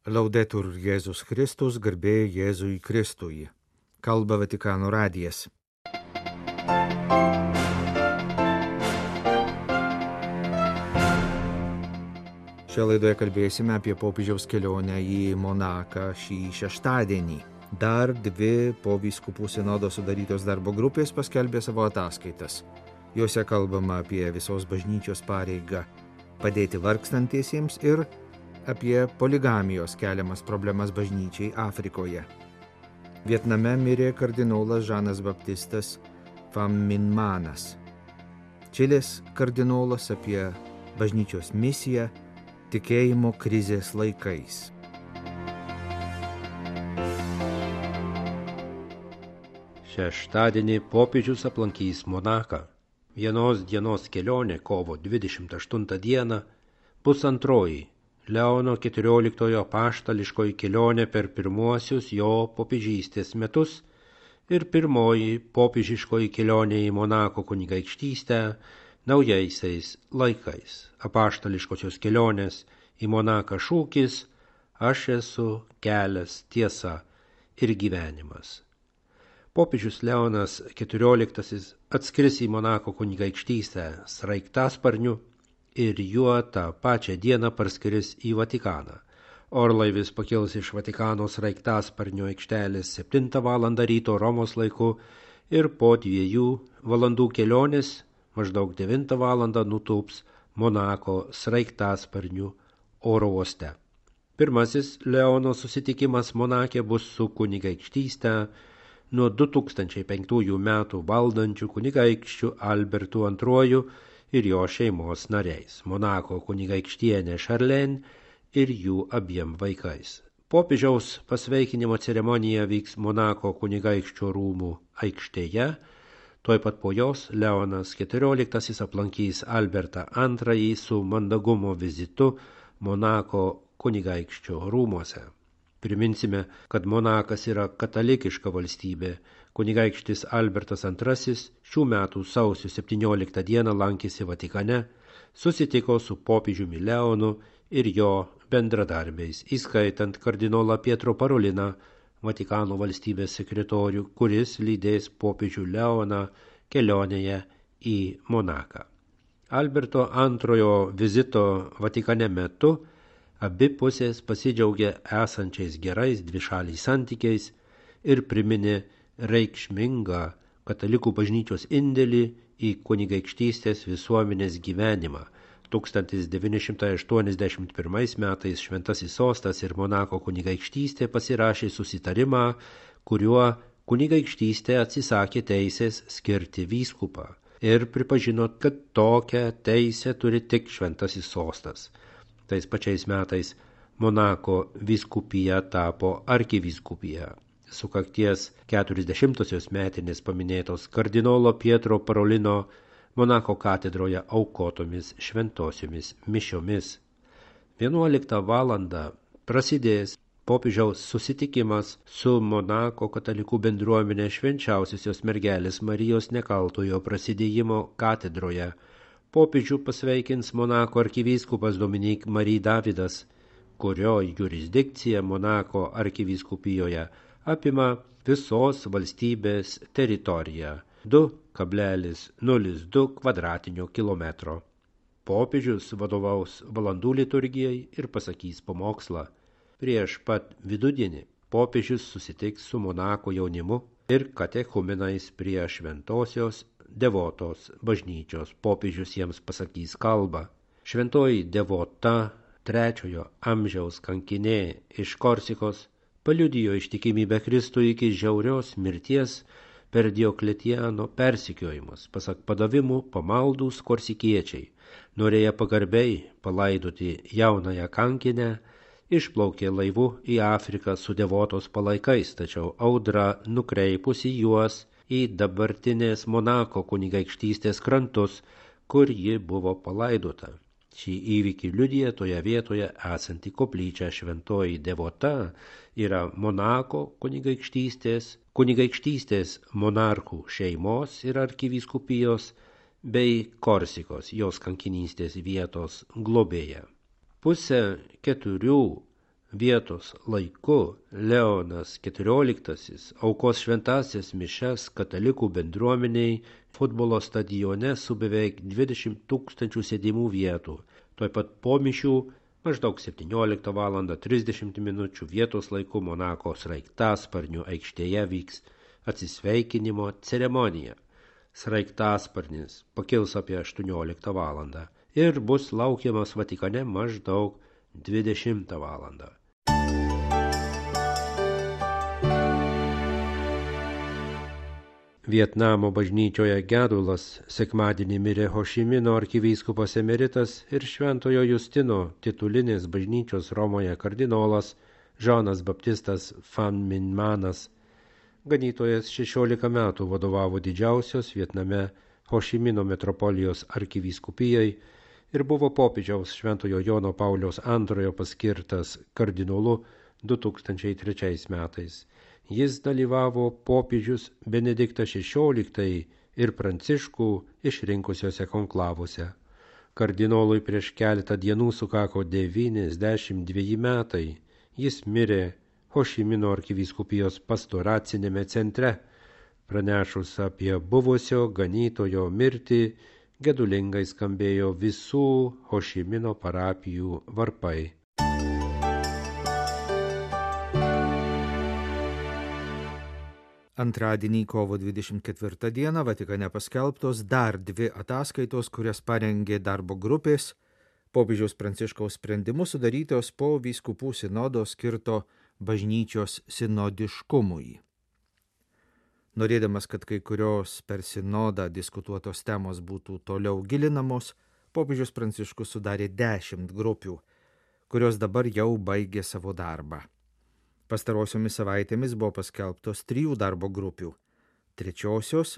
Laudetur Jėzus Kristus, garbė Jėzui Kristui. Kalba Vatikano radijas. Šią laidoje kalbėsime apie popiežiaus kelionę į Monaką šį šeštadienį. Dar 2 po vyskupų sinodo sudarytos darbo grupės paskelbė savo ataskaitas. Jose kalbama apie visos bažnyčios pareigą padėti vargstantiesiems ir apie poligamijos keliamas problemas bažnyčiai Afrikoje. Vietname mirė kardinolas Žanas Baptistas Pham Minh Manas. Čilės kardinolas apie bažnyčios misiją tikėjimo krizės laikais. Šeštadienį popiežius aplankys Monaką. Vienos dienos kelionė kovo 28 dieną bus antroji Leono XIV apaštališkoji kelionė per pirmuosius jo popiežystės metus ir pirmoji popiežiškoji kelionė į Monako kunigaikštystę naujaisiais laikais. Apaštališkosios kelionės į Monaką šūkis "Aš esu kelias, tiesa ir gyvenimas". Popiežius Leonas XIV atskris į Monako kunigaikštystę sraigtasparniu ir juo tą pačią dieną parskris į Vatikaną. Orlaivis pakils iš Vatikano sraigtasparnio aikštelės 7 val. Ryto Romos laiku ir po 2 valandų kelionės maždaug 9 val. Nutūps Monako sraigtasparniu oro uoste. Pirmasis Leono susitikimas Monake bus su kunigaikštyste nuo 2005 metų valdančių kunigaikščių Albertu II ir jo šeimos nariais, Monako kunigaikštienė Šarlen ir jų abiem vaikais. Popiežiaus pasveikinimo ceremonija vyks Monako kunigaikščio rūmų aikštėje, tuoj pat po jos Leonas XIV aplankys Albertą II su mandagumo vizitu Monako kunigaikščio rūmuose. Priminsime, kad Monakas yra katalikiška valstybė. Kunigaikštis Albertas II šių metų sausio 17 dieną lankėsi Vatikane, susitiko su popiežiumi Leonu ir jo bendradarbiais, įskaitant kardinolą Pietro Paroliną, Vatikano valstybės sekretorių, kuris lydės popiežių Leoną kelionėje į Monaką. Alberto II vizito Vatikane metu abi pusės pasidžiaugė esančiais gerais dvišaliais santykiais ir priminė reikšmingą katalikų bažnyčios indėlį į kunigaikštystės visuomenės gyvenimą. 1981 metais Šventasis sostas ir Monako kunigaikštystė pasirašė susitarimą, kuriuo kunigaikštystė atsisakė teisės skirti vyskupą ir pripažino, kad tokią teisę turi tik Šventasis sostas. Tais pačiais metais Monako vyskupija tapo arkivyskupija. Sukakties 40-osios metinės paminėtos kardinolo Pietro Parolino Monako katedroje aukotomis šventosiomis mišiomis. 11 valandą prasidės popiežiaus susitikimas su Monako katalikų bendruomenė Švenčiausiosios mergelės Marijos Nekaltojo prasidėjimo katedroje. Popiežių pasveikins Monako arkivyskupas Dominik Marie Davidas, kurio jurisdikcija Monako arkivyskupijoje apima visos valstybės teritoriją 2,02 kvadratinio kilometro. Popiežius vadovaus valandų liturgijai ir pasakys pamokslą. Prieš pat vidudienį popiežius susitiks su Monako jaunimu ir katechumenais prie šventosios Devotos bažnyčios. Popiežius jiems pasakys kalbą. Šventoji Devota, 3 amžiaus kankinė iš Korsikos, paliudijo ištikimybę Kristui iki žiaurios mirties per Diokletiano persekiojimus. Pasak padavimų, pamaldūs korsikiečiai, norėję pagarbiai palaidoti jaunąją kankinę, išplaukė laivu į Afriką su Devotos palaikais, tačiau audra nukreipusi juos į dabartinės Monako kunigaikštystės krantus, kur ji buvo palaidota. Šį įvykį liudija toje vietoje esanti koplyčia. Šventoji Devota yra Monako kunigaikštystės monarchų šeimos ir arkivyskupijos bei Korsikos, jos kankinystės vietos globėja. 3:30 vietos laiku Leonas XIV aukos šventasias mišias katalikų bendruomeniai futbolo stadione su beveik 20 000 sėdimų vietų. Tuoj pat po mišių maždaug 17:30 vietos laiku Monako sraigtasparnių aikštėje vyks atsisveikinimo ceremonija. Sraigtasparnis pakils apie 18 valandą ir bus laukiamas Vatikane maždaug 20 valandą. Vietnamo bažnyčioje gedulas sekmadienį mirė Hošimino arkivyskupas emeritas ir Šventojo Justino titulinės bažnyčios Romoje kardinolas Žanas Baptistas Phan Minh Manas. Ganytojas 16 metų vadovavo didžiausios Vietname Hošimino metropolijos arkivyskupijai ir buvo popiežiaus Šventojo Jono Pauliaus II paskirtas kardinolu 2003 metais. Jis dalyvavo popiežius Benediktas XVI ir Pranciškų išrinkusiuose konklavuose. Kardinolui prieš keletą dienų sukako 92 metai. Jis mirė Hošimino arkivyskupijos pastoracinėme centre. Pranešus apie buvusio ganytojo mirtį, gedulingai skambėjo visų Hošimino parapijų varpai. Antradienį kovo 24 dieną Vatikane paskelbtos dar 2 ataskaitos, kurias parengė darbo grupės, popiežiaus Pranciškaus sprendimu sudarytos po vyskupų sinodo skirto bažnyčios sinodiškumui. Norėdamas, kad kai kurios per sinodą diskutuotos temos būtų toliau gilinamos, popiežius Pranciškus sudarė 10 grupių, kurios dabar jau baigė savo darbą. Pastarosiomis savaitėmis buvo paskelbtos 3 darbo grupių. 3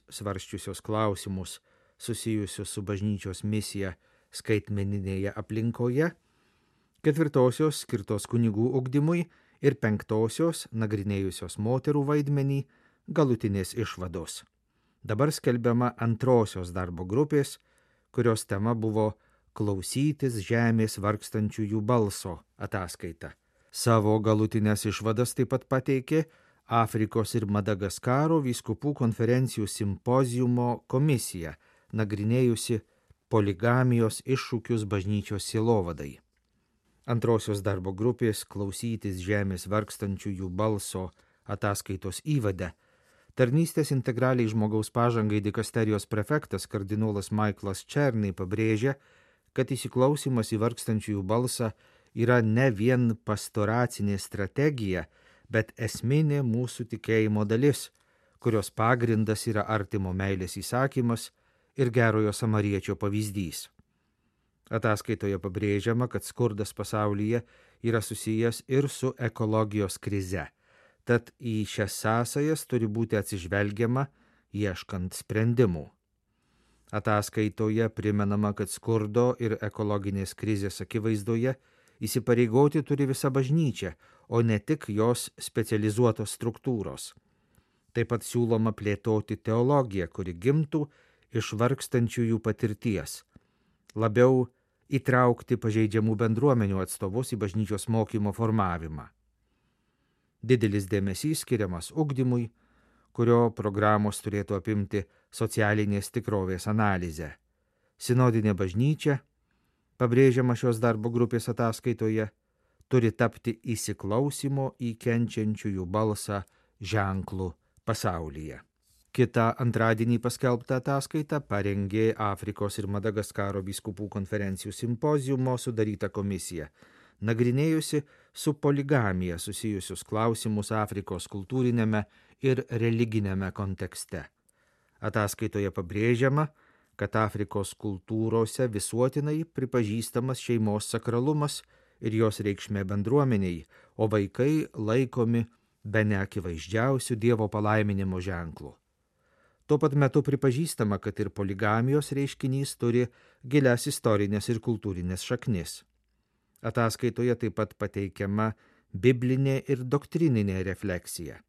svarsčiusios klausimus susijusius su bažnyčios misija skaitmeninėje aplinkoje, 4 skirtos kunigų ugdymui ir 5 nagrinėjusios moterų vaidmenį galutinės išvados. Dabar skelbiama 2 darbo grupės, kurios tema buvo klausytis žemės vargstančiųjų balso ataskaita. Savo galutinės išvadas taip pat pateikė Afrikos ir Madagaskaro vyskupų konferencijų simpoziumo komisija, nagrinėjusi poligamijos iššūkius bažnyčios sielovadai. 2 darbo grupės klausytis žemės vargstančiųjų balso ataskaitos įvade tarnystės integraliai žmogaus pažangai dikasterijos prefektas kardinolas Michaelas Černai pabrėžia, kad įsiklausimas į vargstančiųjų balsą yra ne vien pastoracinė strategija, bet esminė mūsų tikėjimo dalis, kurios pagrindas yra artimo meilės įsakymas ir gerojo samariečio pavyzdys. Ataskaitoje pabrėžiama, kad skurdas pasaulyje yra susijęs ir su ekologijos krize, tad į šias sąsajas turi būti atsižvelgiama ieškant sprendimų. Ataskaitoje primenama, kad skurdo ir ekologinės krizės akivaizdoje įsipareigoti turi visa bažnyčia, o ne tik jos specializuotos struktūros. Taip pat siūloma plėtoti teologiją, kuri gimtų iš vargstančiųjų patirties, labiau įtraukti pažeidžiamų bendruomenių atstovus į bažnyčios mokymo formavimą. Didelis dėmesys skiriamas ugdymui, kurio programos turėtų apimti socialinės tikrovės analizę. Sinodinė bažnyčia, pabrėžiama šios darbo grupės ataskaitoje, turi tapti įsiklausimo į kenčiančiųjų balsą ženklų pasaulyje. Kita antradienį paskelbta ataskaita parengė Afrikos ir Madagaskaro vyskupų konferencijų simpoziumo sudaryta komisija, nagrinėjusi su poligamija susijusius klausimus Afrikos kultūrinėme ir religinėme kontekste. Ataskaitoje pabrėžiama, kad Afrikos kultūrose visuotinai pripažįstamas šeimos sakralumas ir jos reikšmė bendruomeniai, o vaikai laikomi bene akivaizdžiausių Dievo palaiminimo ženklų. Tuo pat metu pripažįstama, kad ir poligamijos reiškinys turi gilias istorinės ir kultūrinės šaknis. Ataskaitoje taip pat pateikiama biblinė ir doktrininė refleksija.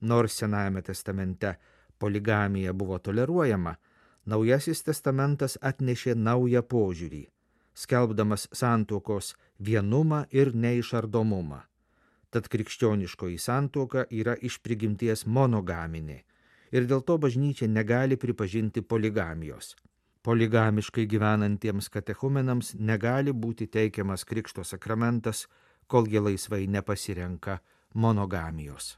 Nors Senajame testamente poligamija buvo toleruojama, Naujasis testamentas atnešė naują požiūrį, skelbdamas santuokos vienumą ir neišardomumą. Tad krikščioniškoji santuoka yra iš prigimties monogaminė ir dėl to bažnyčia negali pripažinti poligamijos. Poligamiškai gyvenantiems katechumenams negali būti teikiamas krikšto sakramentas, kol jie laisvai nepasirenka monogamijos.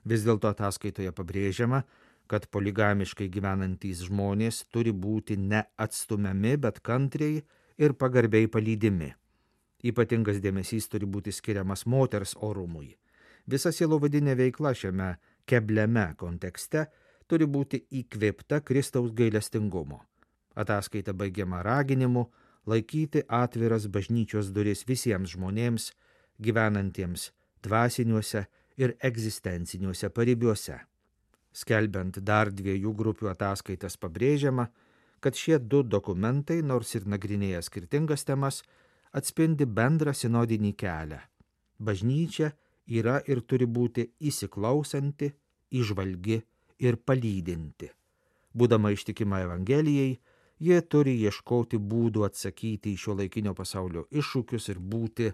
Vis dėlto ataskaitoje pabrėžiama, kad poligamiškai gyvenantys žmonės turi būti neatstumiami, bet kantriai ir pagarbiai palydimi. Ypatingas dėmesys turi būti skiriamas moters orumui. Visa sielovadinė veikla šiame kebliame kontekste turi būti įkvėpta Kristaus gailestingumo. Ataskaita baigiama raginimu laikyti atviras bažnyčios duris visiems žmonėms, gyvenantiems dvasiniuose ir egzistenciniuose paribiuose. Skelbiant dar 2 grupių ataskaitas pabrėžiama, kad šie 2 dokumentai, nors ir nagrinėja skirtingas temas, atspindi bendrą sinodinį kelią. Bažnyčia yra ir turi būti įsiklausanti, įžvalgi ir palydinti. Būdama ištikima Evangelijai, jie turi ieškoti būdų atsakyti į šiuolaikinio pasaulio iššūkius ir būti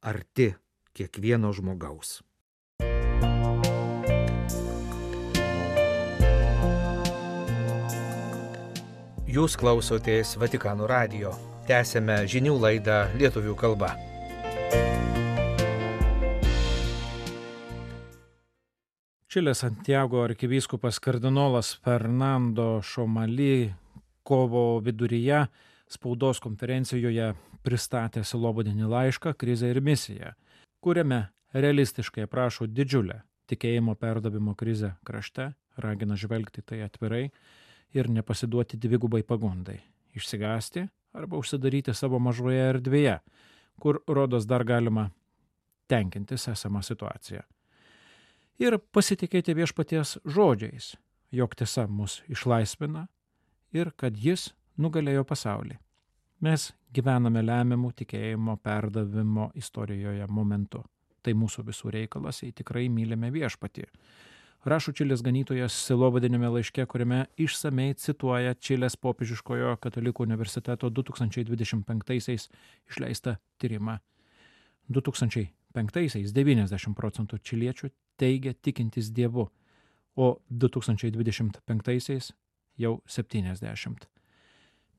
arti kiekvieno žmogaus. Jūs klausotės Vatikano radijo. Tęsėme žinių laidą lietuvių kalba. Čilės Santiago arkivyskupas kardinolas Fernando Šomali kovo viduryje spaudos konferencijoje pristatė sielovadinį laišką Krizė ir misija, kuriame realistiškai aprašo didžiulę tikėjimo perdavimo krizę krašte, ragina žvelgti tai atvirai ir nepasiduoti dvigubai pagundai, išsigąsti arba užsidaryti savo mažoje erdvėje, kur rodos dar galima tenkintis esamą situaciją. Ir pasitikėti viešpaties žodžiais, jog tiesa mus išlaisvina ir kad jis nugalėjo pasaulį. Mes gyvename lemiamų tikėjimo perdavimo istorijoje momentu. Tai mūsų visų reikalas, jei tikrai mylime viešpatį. Rašo Čilės ganytojas sielovadiniame laiške, kuriame išsamei cituoja Čilės popiežiškojo katalikų universiteto 2025-aisiais išleistą tyrimą. 2005-aisiais 90% čiliečių teigia tikintis Dievu, o 2025-aisiais jau 70%.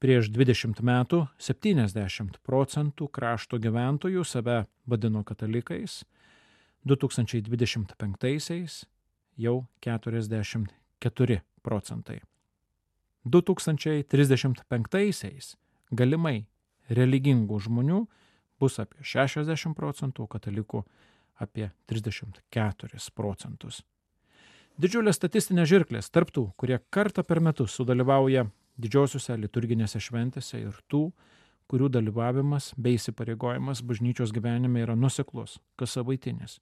Prieš 20 metų 70% krašto gyventojų save vadino katalikais, 2025-aisiais jau 44%. 2035-aisiais galimai religingų žmonių bus apie 60%, katalikų apie 34%. Didžiulės statistinės žirklės tarp tų, kurie kartą per metus sudalyvauja didžiosiuose liturginėse šventėse ir tų, kurių dalyvavimas bei įsipareigojimas bažnyčios gyvenime yra nuoseklus, kassavaitinis.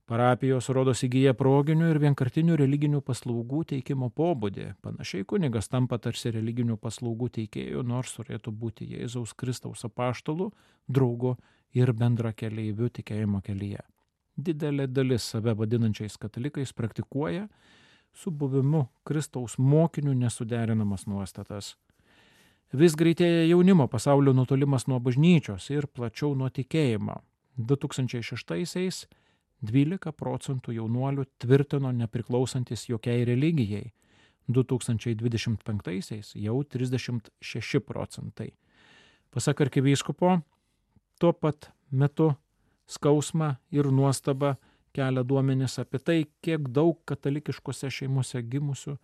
Parapijos rodos įgyja proginių ir vienkartinių religinių paslaugų teikimo pobūdį. Panašiai kunigas tampa tarsi religinių paslaugų teikėjų, nors turėtų būti Jėzaus Kristaus apaštalų, draugu ir bendrakeleiviu tikėjimo kelyje. Didelė dalis save vadinančiais katalikais praktikuoja su buvimu Kristaus mokiniu nesuderinamas nuostatas. Vis greitėja jaunimo pasaulio nutolimas nuo bažnyčios ir plačiau nuo tikėjimo. 2006-aisiais 12% jaunuolių tvirtino nepriklausantis jokiai religijai, 2025-aisiais jau 36%. Pasak arkivyskupo, tuo pat metu skausmą ir nuostabą kelia duomenys apie tai, kiek daug katalikiškose šeimose gimusių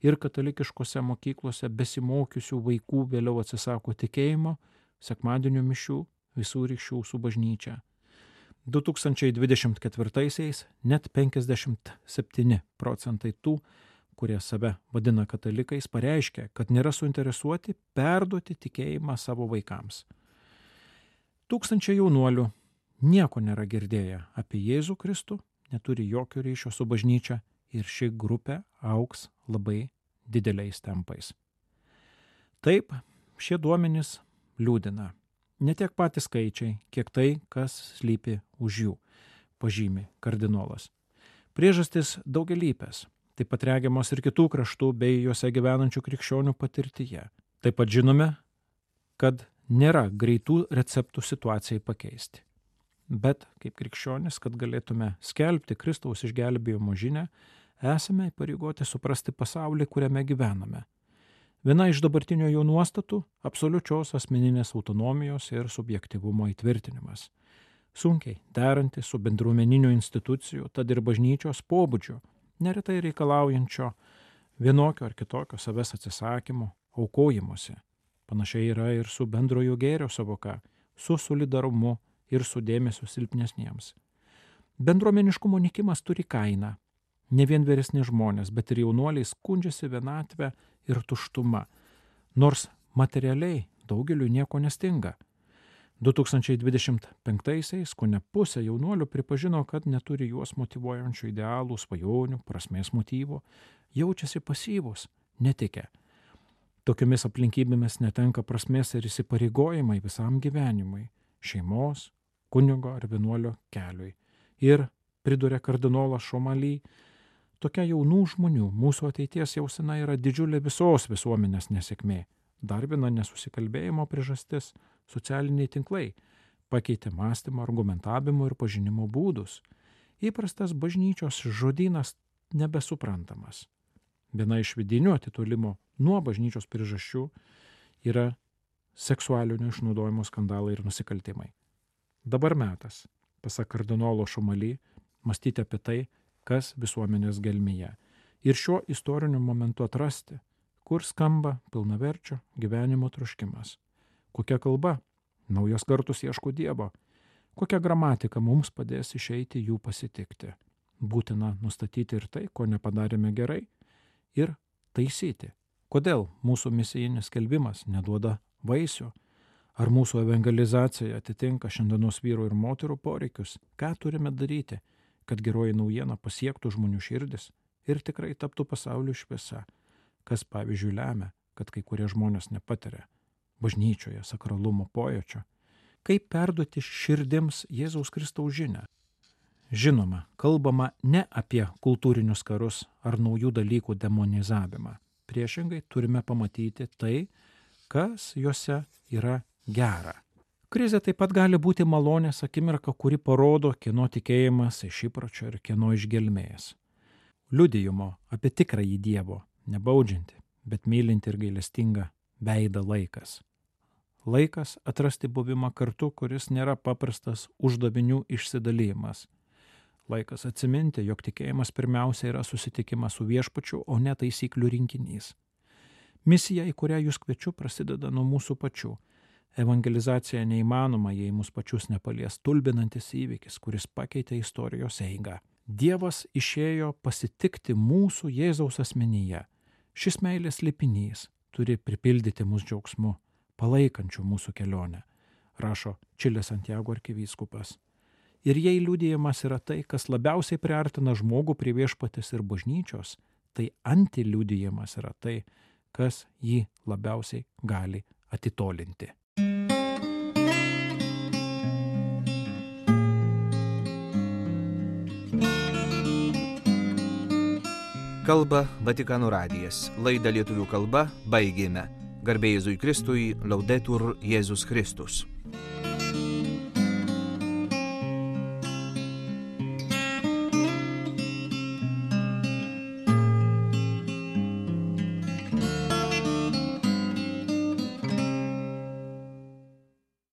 ir katalikiškose mokyklose besimokiusių vaikų vėliau atsisako tikėjimo, sekmadienio mišių, visų ryšių su bažnyčia. 2024-aisiais net 57% tų, kurie save vadina katalikais, pareiškia, kad nėra suinteresuoti perduoti tikėjimą savo vaikams. Tūkstančiai jaunuolių nieko nėra girdėję apie Jėzų Kristų, neturi jokio ryšio su bažnyčia ir ši grupė augs labai dideliais tempais. Taip, šie duomenys liūdina. Ne tiek patys skaičiai, kiek tai, kas slypi už jų, pažymi kardinolas. Priežastis daugialypės, taip pat regiamos ir kitų kraštų bei juose gyvenančių krikščionių patirtyje. Taip pat žinome, kad nėra greitų receptų situacijai pakeisti. Bet kaip krikščionis, kad galėtume skelbti Kristaus išgelbėjimo žinią, esame įpareigoti suprasti pasaulį, kuriame gyvename. Viena iš dabartinio jo nuostatų – absoliučios asmeninės autonomijos ir subjektyvumo įtvirtinimas. Sunkiai deranti su bendruomeninių institucijų, tad ir bažnyčios pobūdžiu, neretai reikalaujančio vienokio ar kitokio savęs atsisakymo, aukojimuose. Panašiai yra ir su bendrojo gėrio savoka, su solidarumu ir su dėmesiu silpnesniems. Bendruomeniškumo nykimas turi kainą. Ne vien vyresni žmonės, bet ir jaunuoliai skundžiasi vienatvę ir tuštuma, nors materialiai daugeliu nieko nestinga. 2025-aisiais kone pusė jaunuolių pripažino, kad neturi juos motyvuojančių idealų, svajonių, prasmės motyvų, jaučiasi pasyvūs, netikę. Tokiomis aplinkybėmis netenka prasmės ir įsipareigojimai visam gyvenimui, šeimos, kunigo ar vienuolio keliui. Ir, priduria kardinolas Šomali, tokia jaunų žmonių mūsų ateities jausena yra didžiulė visos visuomenės nesėkmė. Dar viena nesusikalbėjimo priežastis – socialiniai tinklai pakeitė mąstymo, argumentavimo ir pažinimo būdus. Įprastas bažnyčios žodynas nebesuprantamas. Viena iš vidinių atitolimo nuo bažnyčios priežasčių yra seksualinio išnaudojimo skandalai ir nusikaltimai. Dabar metas, pasak kardinolo Šomali, mąstyti apie tai, kas visuomenės gelmėje. Ir šiuo istoriniu momentu atrasti, kur skamba pilnaverčio gyvenimo troškimas. Kokia kalba? Naujos kartos ieško Dievo. Kokia gramatika mums padės išeiti jų pasitikti? Būtina nustatyti ir tai, ko nepadarėme gerai, ir taisyti. Kodėl mūsų misijinis skelbimas neduoda vaisių? Ar mūsų evangelizacija atitinka šiandienos vyrų ir moterų poreikius? Ką turime daryti, kad geroji naujiena pasiektų žmonių širdis ir tikrai taptų pasaulio šviesa? Kas, pavyzdžiui, lemia, kad kai kurie žmonės nepatiria bažnyčioje sakralumo pojūčio? Kaip perduoti širdims Jėzaus Kristaus žinią? Žinoma, kalbama ne apie kultūrinius karus ar naujų dalykų demonizavimą. Priešingai turime pamatyti tai, kas juose yra gera. Krizė taip pat gali būti malonės akimirka, kuri parodo, kieno tikėjimas iš įpročio ir kieno iš gelmės. Liudijimo apie tikrąjį Dievo, nebaudžianti, bet mylinti ir gailestinga veidą laikas. Laikas atrasti buvimą kartu, kuris nėra paprastas uždavinių išsidalymas. Laikas atsiminti, jog tikėjimas pirmiausia yra susitikimas su viešpačiu, o ne taisyklių rinkinys. Misija, į kurią jūs kviečiu, prasideda nuo mūsų pačių. Evangelizacija neįmanoma, jei mus pačius nepalies stulbinantis įvykis, kuris pakeitė istorijos eigą. Dievas išėjo pasitikti mūsų Jėzaus asmenyje. Šis meilės slėpinys turi pripildyti mus džiaugsmu, palaikančių mūsų kelionę, rašo Čilės Santiago arkivyskupas. Ir jei liudijimas yra tai, kas labiausiai priartina žmogų prie viešpatės ir bažnyčios, tai antiliudijimas yra tai, kas jį labiausiai gali atitolinti. Kalba Vatikano radijas. Laidą lietuvių kalba baigėme. Garbė Jėzui Kristui, Laudetur Jėzus Kristus.